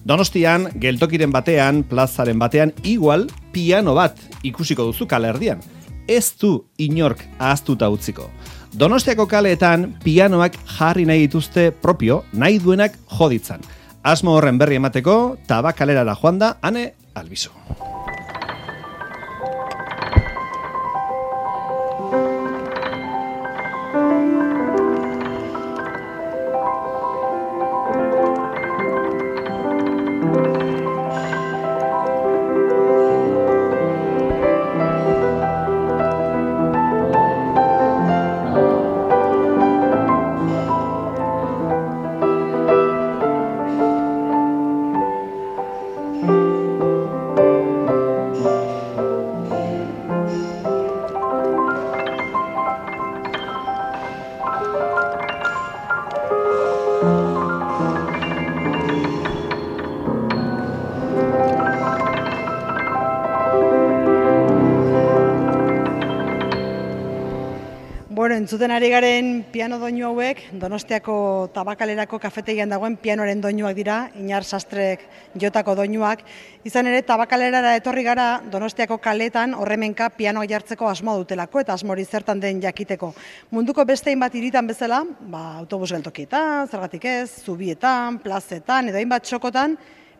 Donostian, geltokiren batean, plazaren batean, igual piano bat ikusiko duzu kalerdian. Ez du inork ahaztuta utziko. Donostiako kaleetan pianoak jarri nahi dituzte propio, nahi duenak joditzan. Asmo horren berri emateko, Tabakalerara joan da, Ane Albizu. Entzuten ari garen piano doinu hauek, Donostiako Tabakalerako kafetegian dagoen pianoaren doinuak dira, Iñar Sastrek jotako doinuak. Izan ere, Tabakalerara etorri gara Donostiako kaletan horremenka pianoak jartzeko asmoa dutelako eta asmori zertan den jakiteko. Munduko beste hainbat hiritan bezala, autobus geltokietan, zergatik ez, zubietan, plazetan edo hainbat txokotan,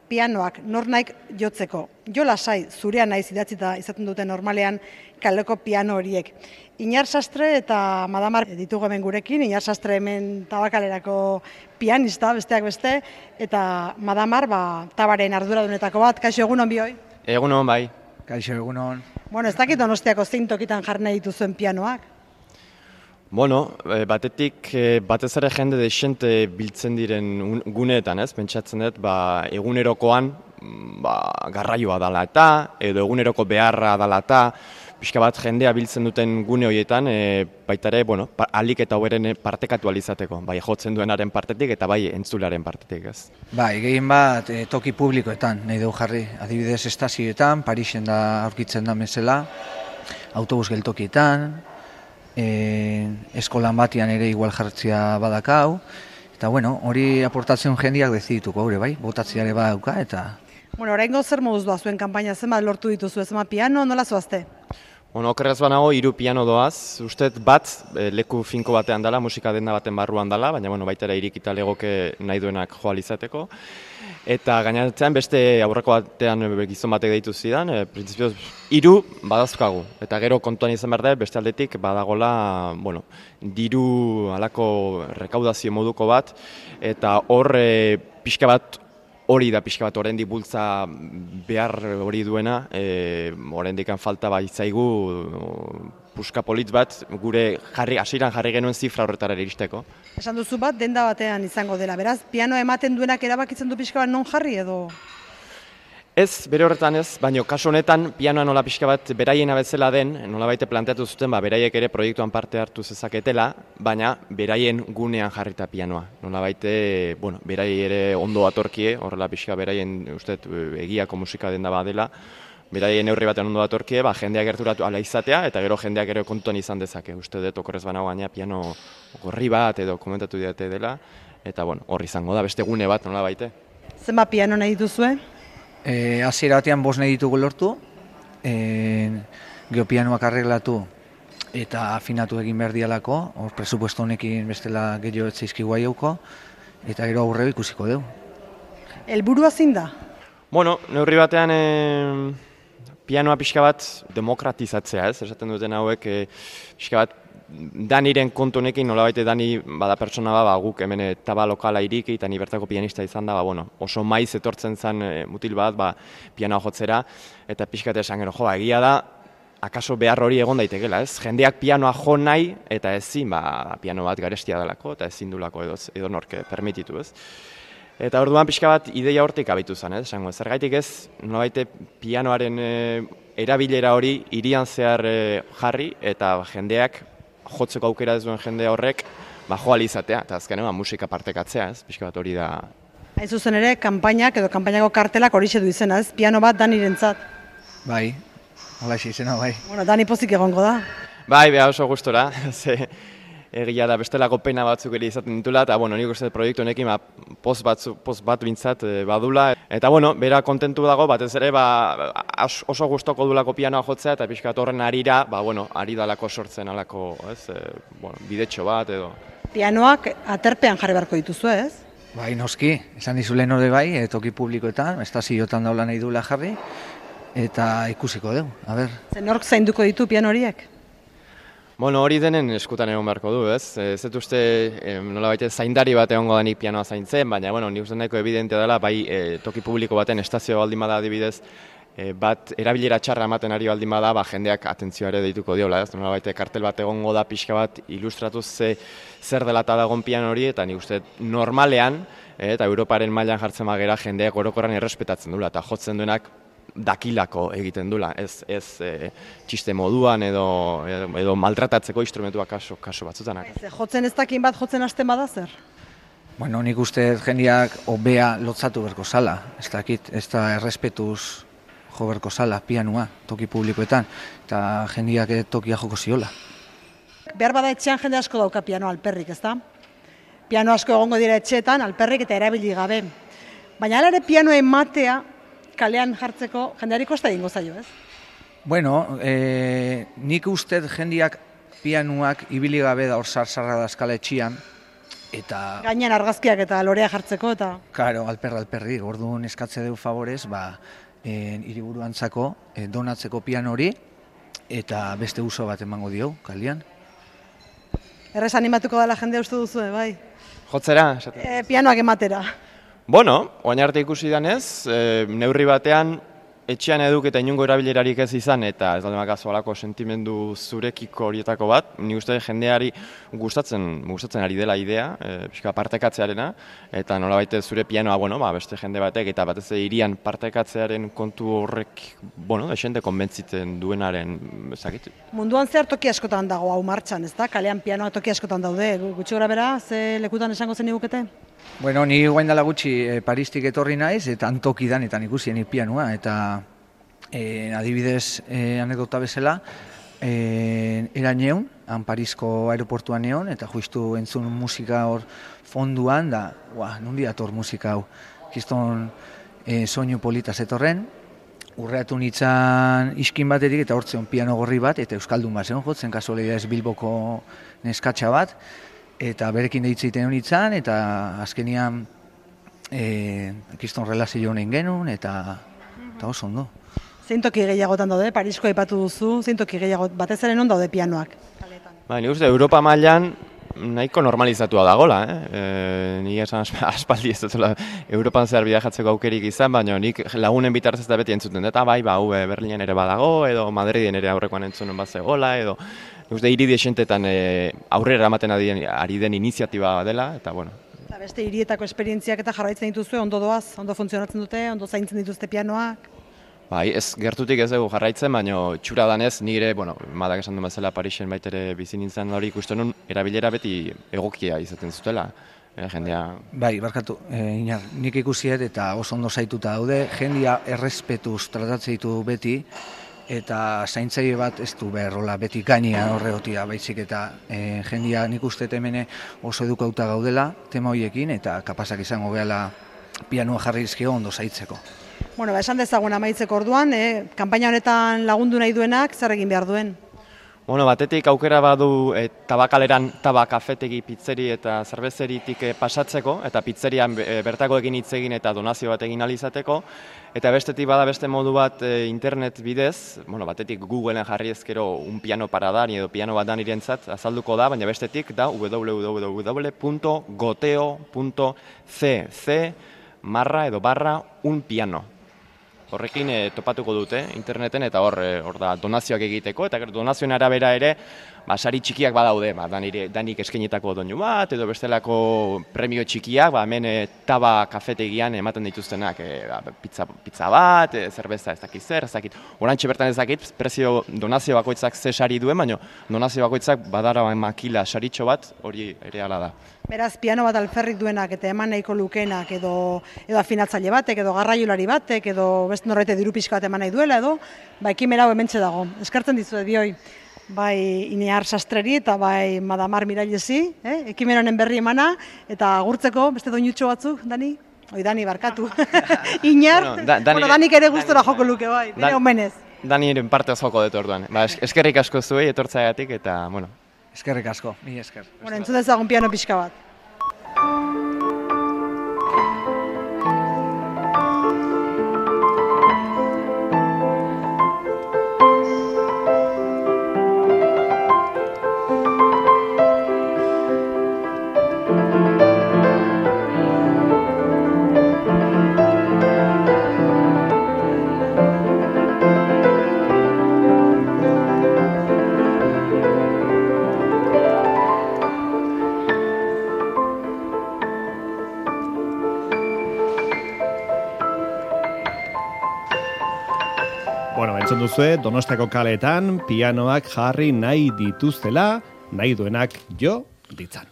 pianoak nornaik jotzeko. Jo lasai, zurea naiz idatzita izaten dute normalean kaleko piano horiek. Iñar Sastre eta Madamar ditugu hemen gurekin, Iñar Sastre hemen Tabakalerako pianista, besteak beste, eta Madamar Tabaren arduradunetako bat. Kaixo, egunon bihoi? Egunon, bai. Kaixo, egunon. Bueno, ez dakit Donostiako zein tokitan jarri nahi dituzuen pianoak? Bueno, batetik batez ere jende desente biltzen diren guneetan, ez? Pentsatzen dut, egunerokoan garraioa dala eta, edo eguneroko beharra dala eta, pixka bat jendea biltzen duten gune horietan, baita ere, alik eta hoberen partekatu alizateko, bai jotzen duenaren partetik eta bai entzularen partetik, ez? Bai, gehien bat toki publikoetan, nahi dugu jarri, adibidez estazioetan, Parisen da aurkitzen da mesela, autobus geltokietan, eskolan batian ere igual jartzia badakau, eta hori aportatzen jendiak dezidituko, hori bai, botatziare badauka, eta... Oraingo zer moduz doa zuen kanpaina, zenbat lortu dituzu, zenbat piano, nola zoazte? Okerrez banago, 3 piano doaz, ustet bat, leku finko batean dela, musika denda baten barruan dela, baina baita ere irikita legoke nahi duenak joal izateko. Eta gainatzean beste aurreko batean gizon batek deitu zidan, printzipioz 3 badazkagu. Eta gero kontuan izan behar da, beste aldetik badagola, diru alako rekaudazio moduko bat, eta hor pixka bat hori da pixka bat oraindik bultza behar hori duena, oraindik falta baitzaigu puska politz bat, gure hasieran jarri genuen zifra horretara iristeko. Esan duzu bat, denda batean izango dela, beraz, piano ematen duenak erabakitzen du pixka bat non jarri edo? Ez, bere horretan ez, baina kasu honetan pianoa nola pixka bat beraiena bezala den, nola baite planteatu zuten, beraiek ere proiektuan parte hartu zezaketela, baina beraien gunean jarrita pianoa. Nola baite, berai ere ondo atorkie, horrela pixka beraien uste egiako musika denda badela, beraien neurri batean ondo atorkie, jendeak gerturatu ala izatea, eta gero jendeak ere kontuan izan dezake. Uste dut okorrez banago gaina piano gorri bat edo komentatu diate dela, eta horri izango da, beste gune bat nola baite. Zenbat piano nahi dituzue? Hasiera batean 5 nahi ditugu lortu, geopianoak arreglatu eta afinatu egin behar dialako, hor presupuesto honekin bestela gehiago etzaizkigu aiauko, eta gero aurreo ikusiko dugu. Helburua zein da? Neurri batean pianoa pixka bat demokratizatzea, ez? Esaten duten hauek pixka bat Daniren kontu honekin, nolabait Dani bada pertsona guk hemen taba lokala iriki eta ni bertako pianista izan da, oso maiz etortzen zen mutil bat, pianoa jotzera, eta pixkat esan gero, egia da, akaso behar hori egon daitekela, ez? Jendeak pianoa jo nahi, eta ezin, piano bat garestia delako, eta ezin dulako edo norke permititu, ez? Eta orduan pixka bat ideia hortik abitu zen, ez? Zergaitik ez, nolabait pianoaren erabilera hori hirian zehar jarri, eta jendeak jotzeko aukera ez duen jende horrek joal izatea, eta azkenean musika partekatzea, ez? Pixka bat hori da. Hain zuzen ere, kanpainak edo kanpainako kartelak horixe du izena, ez? Piano bat Danirentzat. Bai, halaxe izena, bai. Dani pozik egongo da. Bai, beha oso gustora. egia da bestelako pena batzuk ere izaten ditula, eta bueno, nik uste proiektu honekin post bat bintzat badula. Eta bueno, bera kontentu dago, batez ere oso gustoko dulako pianoa jotzea, eta pixka bat horren arira, ari dalako sortzen alako, bidetxo bat edo. Pianoak aterpean jarri beharko dituzu, ez? Bai, noski, esan dizu lehen hori bai, toki publikoetan, estazioetan daula nahi duela jarri, eta ikusiko dugu, a ber. Nork zainduko ditu piano horiek? Bueno, hori denen eskutan egon beharko du, ez? Ez dut uste nolabait zaindari bat egongo denik pianoa zaintzen, baina, nik uste nahiko evidentea dela, bai toki publiko baten estazio baldin bada adibidez, bat erabilera txarra ematen ari baldin bada, jendeak atentzioa ere deituko diola, ez? Nolabait kartel bat egongo da pixka bat ilustratuz zer dela eta dagoen piano hori, eta nik uste normalean, eta Europaren mailan jartzen bagera jendeak orokorran errespetatzen duela, eta jotzen duenak dakilako egiten dula, ez txiste moduan edo maltratatzeko instrumentuak kaso batzutanak. Jotzen ez dakin bat, jotzen hasten bada zer? Bueno, nik uste jendeak hobea lotzatu berko zala, ez dakit, ez da errespetuz jo berko zala pianoa, toki publikoetan, eta jendeak tokia joko ziola. Behar bada etxean jende asko dauka piano alperrik, ez da? Piano asko egongo dira etxeetan, alperrik eta erabili gabe. Baina hala ere pianoa ematea, kalean jartzeko jendeari kosta egingo zaio, ez? Bueno, nik uste jendeak pianuak ibili gabe da hor zarzarra da eskala etxian, eta... Gainean argazkiak eta lorea jartzeko, eta... Karo, alperri, orduan eskatze dugu favorez, hiriburuantzako donatzeko piano hori, eta beste uso bat emango diogu, kalean. Errez animatuko dela jendea uste duzu, bai? Jotzera? Pianoak ematera. Bueno, oain arte ikusi danez, neurri batean etxean eduk eta inungo erabilerarik ez izan, eta ez dalde makazu alako sentimendu zurekiko horietako bat, nik uste jendeari gustatzen ari dela idea, pixka partekatzearena, eta nolabait zure pianoa, beste jende batek, eta batez irian partekatzearen kontu horrek, desente konbentziten duenaren, ezakit. Munduan zehar toki askotan dago hau martxan, ez da? Kalean pianoa toki askotan daude, gutxi gora bera, ze lekutan esango zen igukete? Bueno, ni guain dela gutxi Paristik etorri naiz, eta antoki danetan ikusien pianoa, eta adibidez anekdota bezala, eran neun, han Parisko aeroportuan neon, eta justu entzun musika hor fonduan, da, nundi dator musika hau, kiston soinu polita zetorren, urreatu nintzen iskin batetik, eta hortzen piano gorri bat, eta euskaldun bat zen jotzen, kasualidadez Bilboko neskatxa bat, eta berekin deitzeiten honitzen, eta azkenian kiston relazio honen genuen, eta oso ondo. Zein toki gehiagotan daude, Parisko aipatu duzu, zein toki gehiago batez ere non daude pianoak? Nik uste, Europa mailan nahiko normalizatua dagola, Nik esan aspaldi ez dutela Europan zehar bidajatzeko aukerik izan, baina nik lagunen bitartez da beti entzuten, eta Berlinen ere badago, edo Madriden ere aurrekoan entzunen bat zegoela, edo hiri desentetan aurrera ematen ari den iniziatiba dela, eta bueno. Eta beste hirietako esperientziak eta jarraitzen dituzue, ondo doaz, ondo funtzionatzen dute, ondo zaintzen dituzte pianoak? Bai, ez gertutik ez dugu jarraitzen, baina txura danez nire, madak esan du bezala Parisen baitere bizi nintzen hori ikusten nun, erabilera beti egokia izaten zutela. Jendea... Bai, barkatu, Inar, nik ikusiet eta oso ondo zaituta daude, jendea errespetuz tratatzen ditu beti, eta zaintzaile bat ez du beharrola beti gainean horregotia baizik, eta jendea nik uste temene oso edukauta gaudela tema horiekin, eta kapazak izango gehala pianoa jarri dizkio ondo zaitzeko. Bueno, esan dezagun amaitzeko orduan, kanpaina honetan lagundu nahi duenak zer egin behar duen? Bueno, batetik aukera badu tabakaleran kafetegi, pizzeri eta zerbezeritik pasatzeko, eta pizzerian bertakoekin hitz egin eta donazio bat egin ahal izateko, eta bestetik bada beste modu bat internet bidez, batetik Googleen jarri ezkero un piano para Dani edo piano bat Danirentzat azalduko da, baina bestetik da www.goteo.cc/un piano. Horrekin topatuko dute interneten, eta hor da donazioak egiteko, eta donazioen arabera ere sari txikiak badaude, danik eskainetako doinu bat, edo bestelako premio txikiak, hemen taba kafetegian ematen dituztenak, pizza bat, zerbeza ez dakit zer, ez dakit. Orantxe bertan ez dakit, prezio donazio bakoitzak ze sari duen, baina donazio bakoitzak badara makila saritxo bat, hori ere hala da. Beraz, piano bat alferrik duenak eta eman nahiko lukenak, edo afinatzaile batek, edo garraiolari batek, edo beste norbaite diru pixka bat eman nahi duela, edo ekimena hau hementxe dago. Eskertzen dizuet bioi. bai Inear Sastreri eta bai Madamar Mirailesi, ekimen honen berri emana, eta agurtzeko beste doinutxo batzuk, Dani? Dani, barkatu. Inar, Danik ere gustora joko luke, bai, bere omenez. Daniren parte joko dut orduan. Eskerrik asko zuei etortzeagatik eta, bueno. Eskerrik asko, mi esker. Entzun dezagun piano pixka bat. Entzun duzue, Donostiako kaleetan pianoak jarri nahi dituztela, nahi duenak jo ditzan.